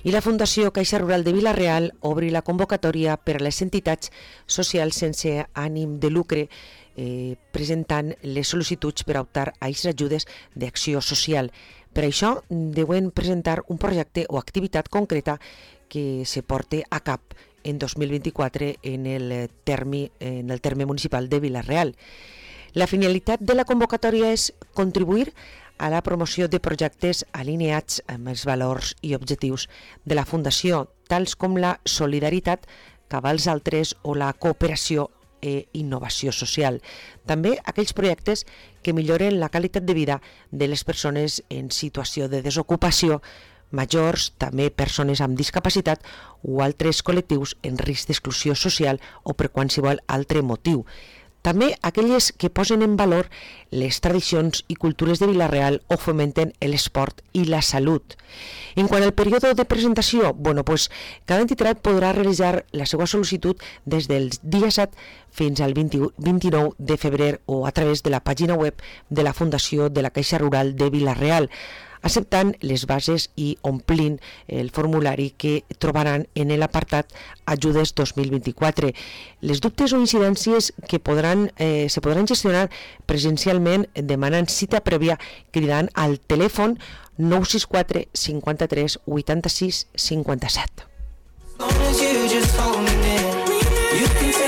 I la Fundació Caixa Rural de Vila-real obri la convocatòria per a les entitats socials sense ànim de lucre, presentant les sol·licituds per a optar a aquestes ajudes d'acció social. Per això deuen presentar un projecte o activitat concreta que se porte a cap en 2024 en el terme municipal de Vila-real. La finalitat de la convocatòria és contribuir a la promoció de projectes alineats amb els valors i objectius de la Fundació, tals com la solidaritat cap als altres o la cooperació i innovació social. També aquells projectes que milloren la qualitat de vida de les persones en situació de desocupació, majors, també persones amb discapacitat o altres col·lectius en risc d'exclusió social o per qualsevol altre motiu. També aquelles que posen en valor les tradicions i cultures de Vila-real o fomenten l'esport i la salut. En quant al període de presentació, cada entitat podrà realitzar la seva sol·licitud des del dia 7 fins al 29 de febrer o a través de la pàgina web de la Fundació de la Caixa Rural de Vila-real, acceptant les bases i omplint el formulari que trobaran en l'apartat Ajudes 2024. Les dubtes o incidències que se podran gestionar presencialment demanant cita prèvia cridant al telèfon 964 53 86 57.